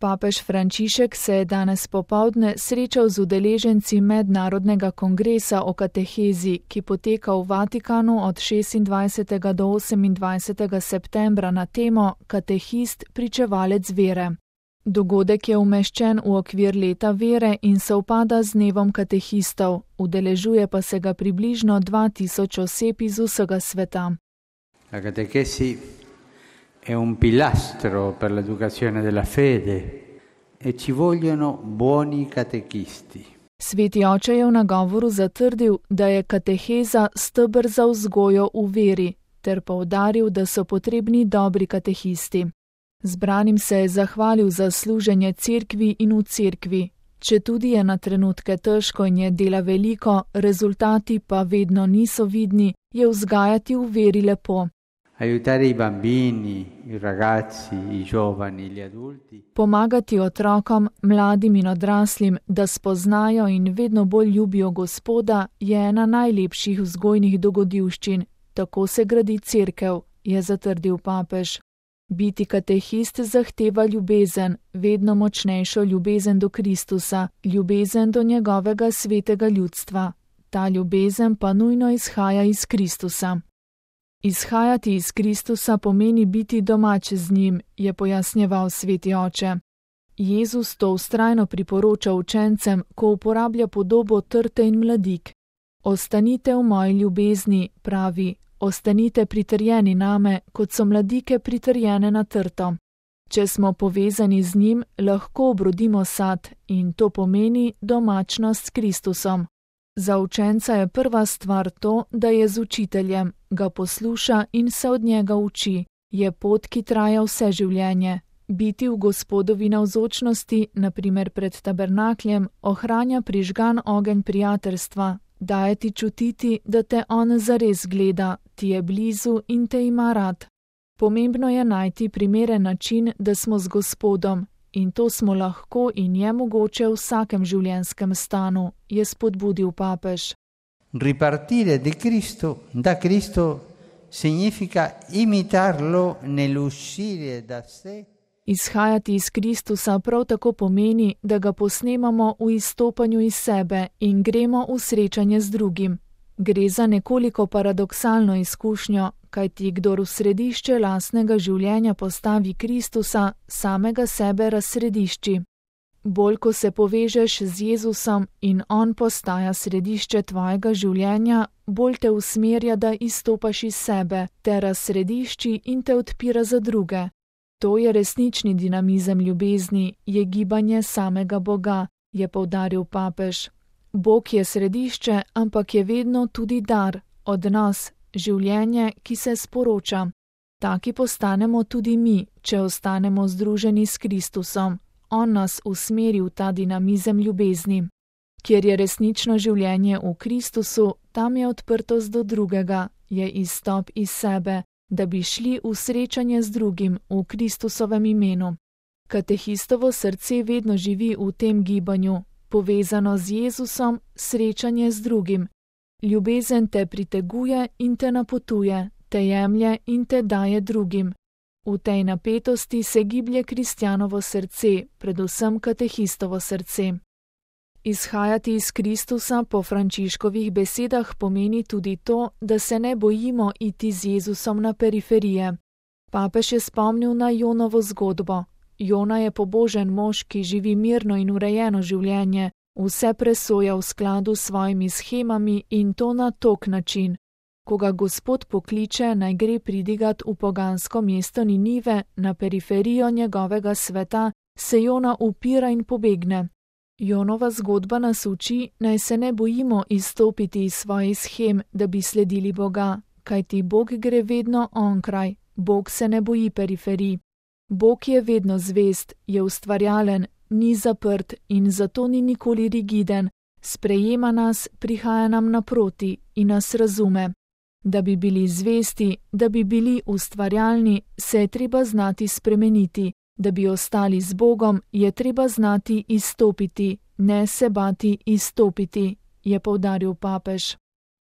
Papež Frančišek se je danes popoldne srečal z udeleženci Mednarodnega kongresa o katehezi, ki poteka v Vatikanu od 26. do 28. septembra na temo Katehist, pričevalec vere. Dogodek je umeščen v okvir leta vere in sovpada z dnevom katehistov, udeležuje pa se ga približno 2000 oseb iz vsega sveta. La catechesi è un pilastro per l'educazione della fede e ci vogliono buoni catechisti. Sveti oče je v nagovoru zatrdil, da je kateheza steber za vzgojo v veri, ter poudaril, da so potrebni dobri katehisti. Zbranim se je zahvalil za služenje cerkvi in v cerkvi. Četudi je na trenutke težko in je dela veliko, rezultati pa vedno niso vidni, je vzgajati v veri lepo. Aiutare i bambini, i ragazzi, i giovani, gli adulti. Pomagati otrokom, mladim in odraslim, da spoznajo in vedno bolj ljubijo Gospoda, je ena najlepših vzgojnih dogodivščin. Tako se gradi cerkev, je zatrdil papež. Biti katehist zahteva ljubezen, vedno močnejšo ljubezen do Kristusa, ljubezen do njegovega svetega ljudstva. Ta ljubezen pa nujno izhaja iz Kristusa. Izhajati iz Kristusa pomeni biti domač z njim, je pojasnjeval sveti oče. Jezus to vztrajno priporoča učencem, ko uporablja podobo trte in mladik. Ostanite v moji ljubezni, pravi, ostanite pritrjeni name, kot so mladike pritrjene na trto. Če smo povezani z njim, lahko obrodimo sad in to pomeni domačnost s Kristusom. Za učenca je prva stvar to, da je z učiteljem, ga posluša in se od njega uči. Je pot, ki traja vse življenje. Biti v Gospodovi navzočnosti, naprimer pred tabernakljem, ohranja prižgan ogenj prijateljstva, daje ti čutiti, da te on zares gleda, ti je blizu in te ima rad. Pomembno je najti primeren način, da smo z Gospodom, in to smo lahko in je mogoče v vsakem življenjskem stanu, je spodbudil papež. Ripartire da Cristo significa imitarlo nell'uscire da sé. Izhajati iz Kristusa prav tako pomeni, da ga posnemamo v izstopanju iz sebe in gremo v srečanje z drugim. Gre za nekoliko paradoksalno izkušnjo, kajti kdor v središče lastnega življenja postavi Kristusa, samega sebe razsredišči. Bolj ko se povežeš z Jezusom in on postaja središče tvojega življenja, bolj te usmerja, da izstopaš iz sebe, te razsredišči in te odpira za druge. To je resnični dinamizem ljubezni, je gibanje samega Boga, je poudaril papež. Bog je središče, ampak je vedno tudi dar, odnos, življenje, ki se sporoča. Taki postanemo tudi mi, če ostanemo združeni s Kristusom. On nas usmeri v ta dinamizem ljubezni. Kjer je resnično življenje v Kristusu, tam je odprtost do drugega, je izstop iz sebe, da bi šli v srečanje z drugim v Kristusovem imenu. Katehistovo srce vedno živi v tem gibanju, povezano z Jezusom, srečanje z drugim. Ljubezen te priteguje in te napotuje, te jemlje in te daje drugim. V tej napetosti se giblje kristjanovo srce, predvsem katehistovo srce. Izhajati iz Kristusa po Frančiškovih besedah pomeni tudi to, da se ne bojimo iti z Jezusom na periferije. Papež je spomnil na Jonovo zgodbo. Jona je pobožen mož, ki živi mirno in urejeno življenje, vse presoja v skladu s svojimi shemami in to na tok način. Ko ga Gospod pokliče, naj gre pridigat v pogansko mesto Ninive, na periferijo njegovega sveta, se Jona upira in pobegne. Jonova zgodba nas uči, naj se ne bojimo izstopiti iz svojih shem, da bi sledili Boga, kajti Bog gre vedno onkraj, Bog se ne boji periferij. Bog je vedno zvest, je ustvarjalen, ni zaprt in zato ni nikoli rigiden, sprejema nas, prihaja nam naproti in nas razume. Da bi bili zvesti, da bi bili ustvarjalni, se je treba znati spremeniti. Da bi ostali z Bogom, je treba znati izstopiti, ne se bati izstopiti, je poudaril papež.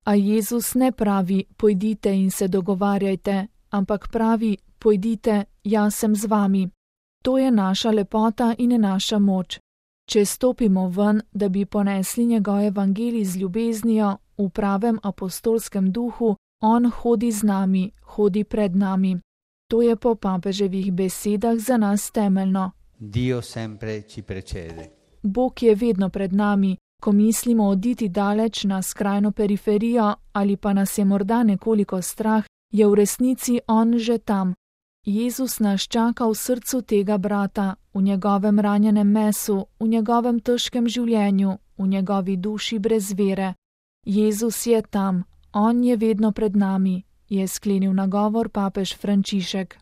A Jezus ne pravi, pojdite in se dogovarjajte, ampak pravi, pojdite, jaz sem z vami. To je naša lepota in naša moč. Če stopimo ven, da bi ponesli njegov evangelij z ljubeznijo v pravem apostolskem duhu, on hodi z nami, hodi pred nami. To je po papeževih besedah za nas temeljno. Dio sempre ci precede. Bog je vedno pred nami, ko mislimo oditi daleč na skrajno periferijo ali pa nas je morda nekoliko strah, je v resnici on že tam. Jezus nas čaka v srcu tega brata, v njegovem ranjenem mesu, v njegovem težkem življenju, v njegovi duši brez vere. Jezus je tam, on je vedno pred nami, je sklenil nagovor papež Frančišek.